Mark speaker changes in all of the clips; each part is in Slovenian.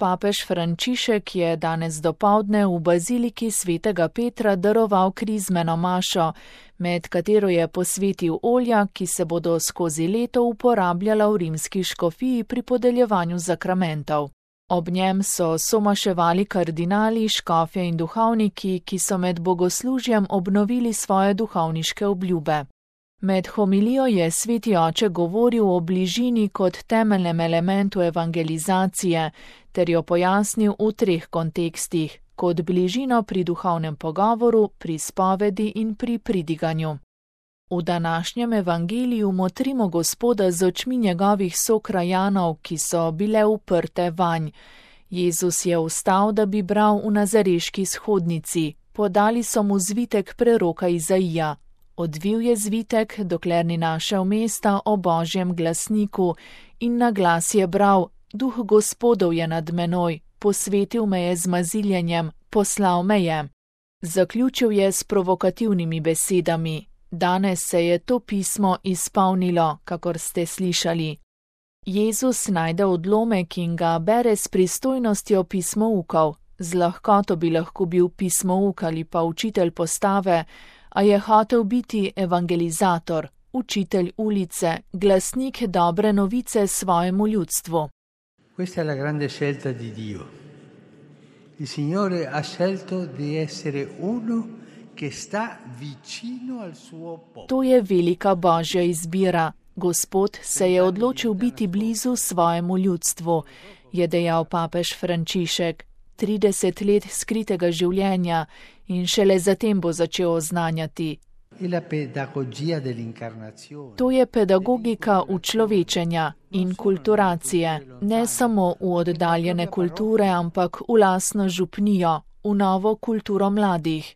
Speaker 1: papež Frančišek je danes dopoldne v baziliki svetega Petra daroval krizmeno mašo, med katero je posvetil olja, ki se bodo skozi leto uporabljala v rimski škofiji pri podeljevanju zakramentov. Ob njem so somaševali kardinali, škofje in duhovniki, ki so med bogoslužjem obnovili svoje duhovniške obljube. Med homilijo je sveti oče govoril o bližini kot temeljnem elementu evangelizacije, ter jo pojasnil v 3 kontekstih, kot bližino pri duhovnem pogovoru, pri spovedi in pri pridiganju. V današnjem evangeliju motrimo Gospoda z očmi njegovih sokrajanov, ki so bile uprte vanj. Jezus je vstal, da bi bral v nazareški shodnici, podali so mu zvitek preroka Izaija. Odvil je zvitek, dokler ni našel mesta o Božjem glasniku, in na glas je bral: Duh Gospodov je nad menoj, posvetil me je z maziljenjem, poslal me je. Zaključil je s provokativnimi besedami: Danes se je to pismo izpolnilo, kakor ste slišali. Jezus najde odlomek in ga bere s pristojnostjo pismoukov. Z lahkoto bi lahko bil pismouk ali pa učitelj postave, a je hotel biti evangelizator, učitelj ulice, glasnik dobre novice svojemu ljudstvu.
Speaker 2: Questa è la grande scelta di Dio. Il Signore ha scelto di essere uno che sta vicino al suo popolo.
Speaker 1: To je velika Božja izbira. Gospod se je odločil biti blizu svojemu ljudstvu, je dejal papež Frančišek. 30 let skritega življenja in šele zatem bo začel oznanjati. To je pedagogika učlovečenja in kulturacije, ne samo v oddaljene kulture, ampak v lastno župnijo, v novo kulturo mladih.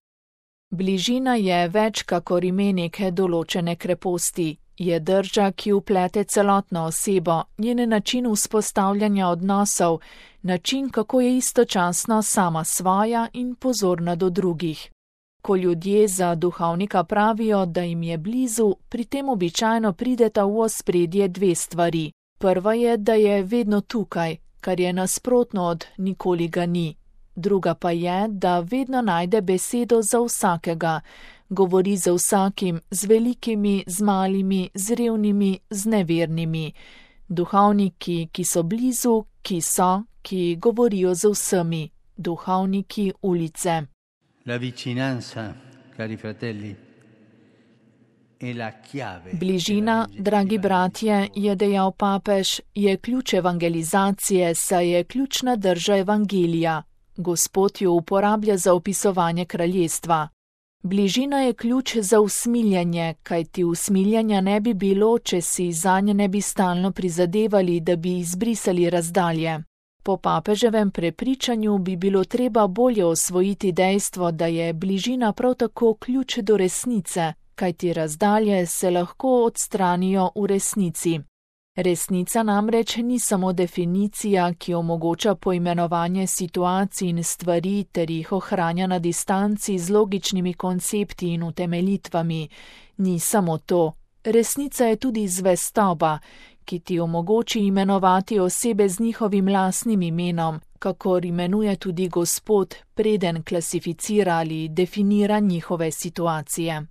Speaker 1: Bližina je več kakor ime neke določene kreposti. Je drža, ki vplete celotno osebo, njen način vzpostavljanja odnosov, način, kako je istočasno sama svoja in pozorna do drugih. Ko ljudje za duhovnika pravijo, da jim je blizu, pri tem običajno prideta v ospredje 2 stvari. Prva je, da je vedno tukaj, kar je nasprotno od nikoli ga ni. Druga pa je, da vedno najde besedo za vsakega, govori z vsakim, z velikimi, z malimi, z revnimi, z nevernimi. Duhovniki, ki so blizu, ki govorijo z vsemi. Duhovniki ulice.
Speaker 2: La vicinanza, cari fratelli, è la chiave.
Speaker 1: Bližina, dragi bratje, je dejal papež, je ključ evangelizacije, saj je ključna drža evangelija. Gospod jo uporablja za opisovanje kraljestva. Bližina je ključ za usmiljanje, kajti usmiljanja ne bi bilo, če si zanje ne bi stalno prizadevali, da bi izbrisali razdalje. Po papeževem prepričanju bi bilo treba bolje osvojiti dejstvo, da je bližina prav tako ključ do resnice, kajti razdalje se lahko odstranijo v resnici. Resnica namreč ni samo definicija, ki omogoča poimenovanje situacij in stvari ter jih ohranja na distanci z logičnimi koncepti in utemeljitvami. Ni samo to. Resnica je tudi zvestoba, ki ti omogoči imenovati osebe z njihovim lastnim imenom, kakor imenuje tudi Gospod, preden klasificira ali definira njihove situacije.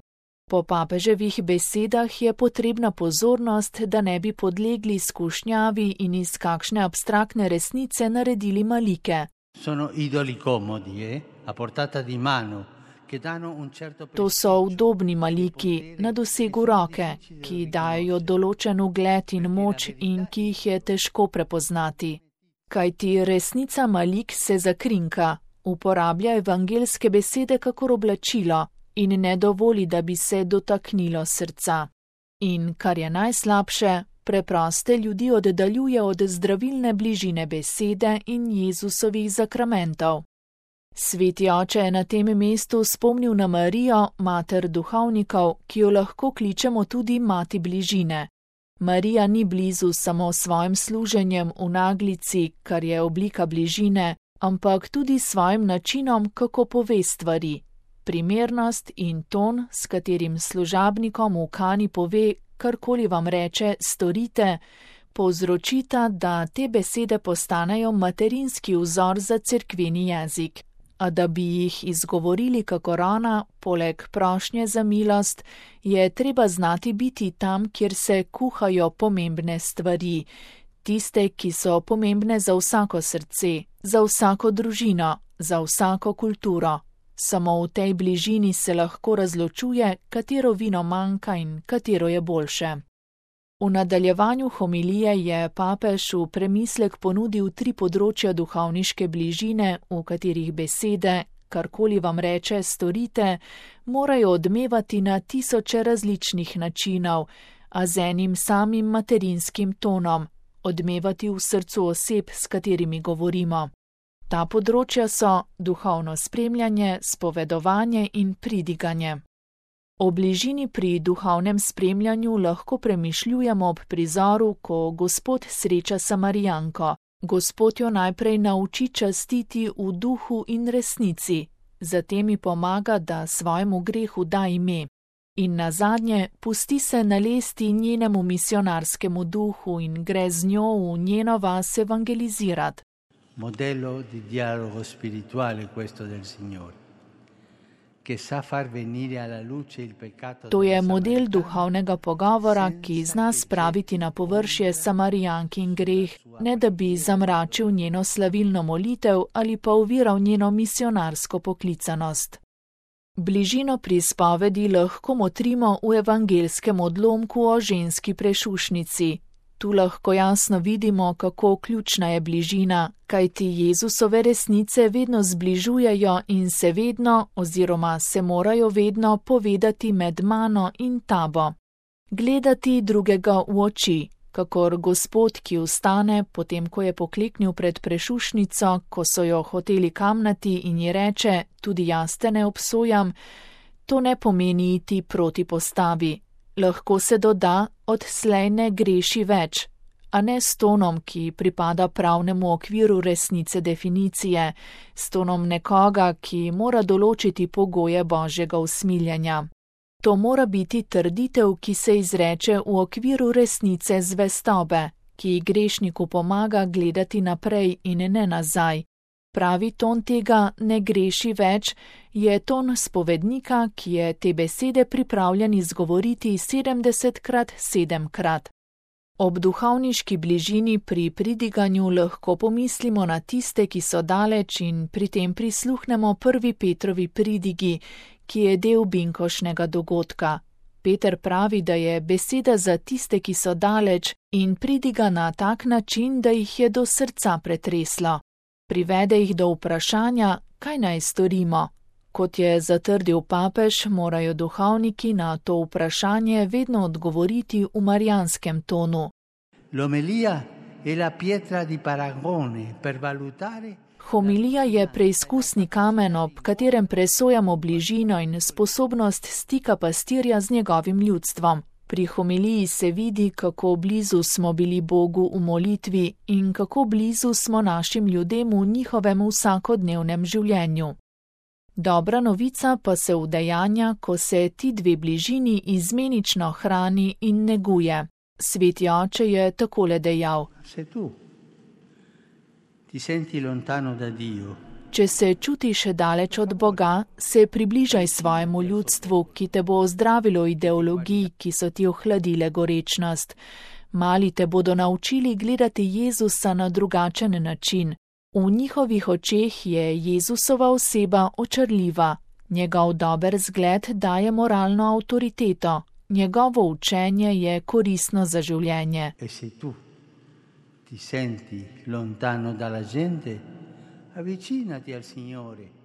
Speaker 1: Po papeževih besedah je potrebna pozornost, da ne bi podlegli skušnjavi in iz kakšne abstraktne resnice naredili malike. To so udobni maliki na dosegu roke, ki dajo določen ugled in moč in ki jih je težko prepoznati. Kajti resnica malik se zakrinka, uporablja evangelske besede kakor oblačilo in ne dovoli, da bi se dotaknilo srca. In, kar je najslabše, preproste ljudi oddaljuje od zdravilne bližine besede in Jezusovih zakramentov. Sveti oče je na tem mestu spomnil na Marijo, mater duhovnikov, ki jo lahko kličemo tudi mati bližine. Marija ni blizu samo svojim služenjem v naglici, kar je oblika bližine, ampak tudi svojim načinom, kako pove stvari. Primernost in ton, s katerim služabnikom v Kani pove, karkoli vam reče, storite, povzročita, da te besede postanejo materinski vzor za cerkveni jezik. A da bi jih izgovorili kakor ona, poleg prošnje za milost, je treba znati biti tam, kjer se kuhajo pomembne stvari, tiste, ki so pomembne za vsako srce, za vsako družino, za vsako kulturo. Samo v tej bližini se lahko razločuje, katero vino manjka in katero je boljše. V nadaljevanju homilije je papež v premislek ponudil 3 področja duhovniške bližine, v katerih besede, karkoli vam reče, storite, morajo odmevati na tisoče različnih načinov, a z enim samim materinskim tonom, odmevati v srcu oseb, s katerimi govorimo. Ta področja so duhovno spremljanje, spovedovanje in pridiganje. O bližini pri duhovnem spremljanju lahko premišljujemo ob prizoru, ko Gospod sreča Samarijanko. Gospod jo najprej nauči častiti v duhu in resnici, zatem ji pomaga, da svojemu grehu da ime. In nazadnje pusti se nalesti njenemu misionarskemu duhu in gre z njo v njeno vas evangelizirati.
Speaker 2: Modello di dialogo spirituale questo del Signore.
Speaker 1: To je model duhovnega pogovora, ki zna spraviti na površje Samarijankin greh, ne da bi zamračil njeno slavilno molitev ali pa oviral njeno misionarsko poklicanost. Bližino pri spovedi lahko motrimo v evangelskem odlomku o ženski prešušnici. Tu lahko jasno vidimo, kako ključna je bližina, kajti Jezusove resnice vedno zbližujejo in se vedno oziroma se morajo vedno povedati med mano in tabo. Gledati drugega v oči, kakor Gospod, ki vstane, potem ko je pokleknil pred prešušnico, ko so jo hoteli kamnati in ji reče, tudi jaz te ne obsojam, to ne pomeni iti proti postavi. Lahko se doda, odslej ne greši več, a ne s tonom, ki pripada pravnemu okviru resnice definicije, s tonom nekoga, ki mora določiti pogoje Božjega usmiljenja. To mora biti trditev, ki se izreče v okviru resnice zvestobe, ki grešniku pomaga gledati naprej in ne nazaj. Pravi ton tega ne greši več je ton spovednika, ki je te besede pripravljen izgovoriti 70krat 7krat. Ob duhovniški bližini pri pridiganju lahko pomislimo na tiste, ki so daleč in pri tem prisluhnemo 1. Petrovi pridigi, ki je del binkošnega dogodka. Peter pravi, da je beseda za tiste, ki so daleč in pridiga na tak način, da jih je do srca pretreslo. Privede jih do vprašanja, kaj naj storimo. Kot je zatrdil papež, morajo duhovniki na to vprašanje vedno odgovoriti v marijanskem tonu. Homilija je preizkusni kamen, ob katerem presojamo bližino in sposobnost stika pastirja z njegovim ljudstvom. Pri homiliji se vidi, kako blizu smo bili Bogu v molitvi in kako blizu smo našim ljudem v njihovem vsakodnevnem življenju. Dobra novica pa se udejanja, ko se ti dve bližini izmenično hrani in neguje. Sveti oče je takole dejal: Če se čutiš daleč od Boga, se približaj svojemu ljudstvu, ki te bo ozdravilo ideologij, ki so ti ohladile gorečnost. Mali te bodo naučili gledati Jezusa na drugačen način. V njihovih očeh je Jezusova oseba očarljiva. Njegov dober zgled daje moralno avtoriteto. Njegovo učenje je koristno za življenje.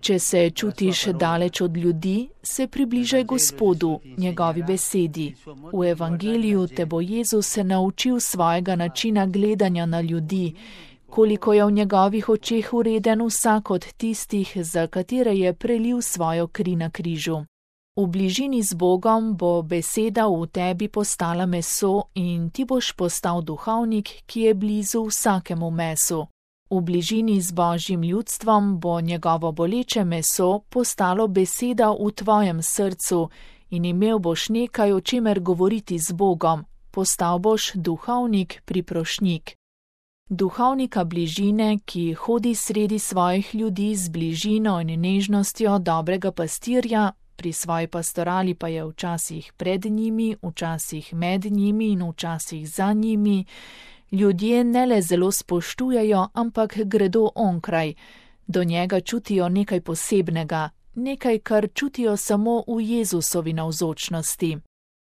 Speaker 1: Če se čutiš daleč od ljudi, se približaj Gospodu, njegovi besedi. V evangeliju te bo Jezus naučil svojega načina gledanja na ljudi, koliko je v njegovih očeh vreden vsak od tistih, za katere je prelil svojo kri na križu. V bližini z Bogom bo beseda v tebi postala meso in ti boš postal duhovnik, ki je blizu vsakemu mesu. V bližini z Božjim ljudstvom bo njegovo boleče meso postalo beseda v tvojem srcu in imel boš nekaj, o čemer govoriti z Bogom, postal boš duhovnik, priprošnjik. Duhovnika bližine, ki hodi sredi svojih ljudi z bližino in nežnostjo dobrega pastirja, pri svoji pastorali pa je včasih pred njimi, včasih med njimi in včasih za njimi, ljudje ne le zelo spoštujejo, ampak gredo onkraj. Do njega čutijo nekaj posebnega, nekaj, kar čutijo samo v Jezusovi navzočnosti.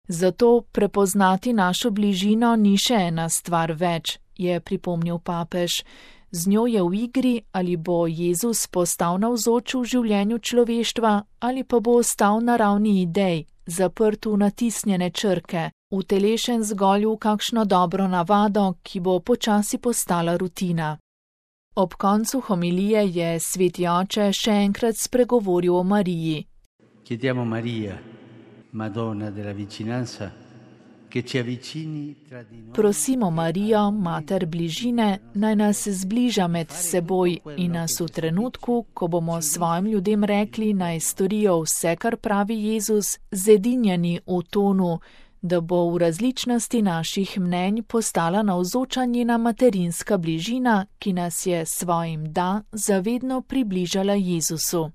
Speaker 1: Zato prepoznati našo bližino ni še ena stvar več, je pripomnil papež. Z njo je v igri, ali bo Jezus postal navzoč v življenju človeštva, ali pa bo ostal na ravni idej, zaprt v natisnjene črke, utelešen zgolj v kakšno dobro navado, ki bo počasi postala rutina. Ob koncu homilije je sveti oče še enkrat spregovoril o Mariji.
Speaker 2: Chiediamo Maria, Madonna della vicinanza, che ci avvicini tra di noi.
Speaker 1: Prosimo Marijo, mater bližine, naj nas zbliža med seboj in nas v trenutku, ko bomo svojim ljudem rekli, naj storijo vse, kar pravi Jezus, zedinjeni v tonu, da bo v različnosti naših mnenj postala navzoča njena materinska bližina, ki nas je svojim da zavedno približala Jezusu.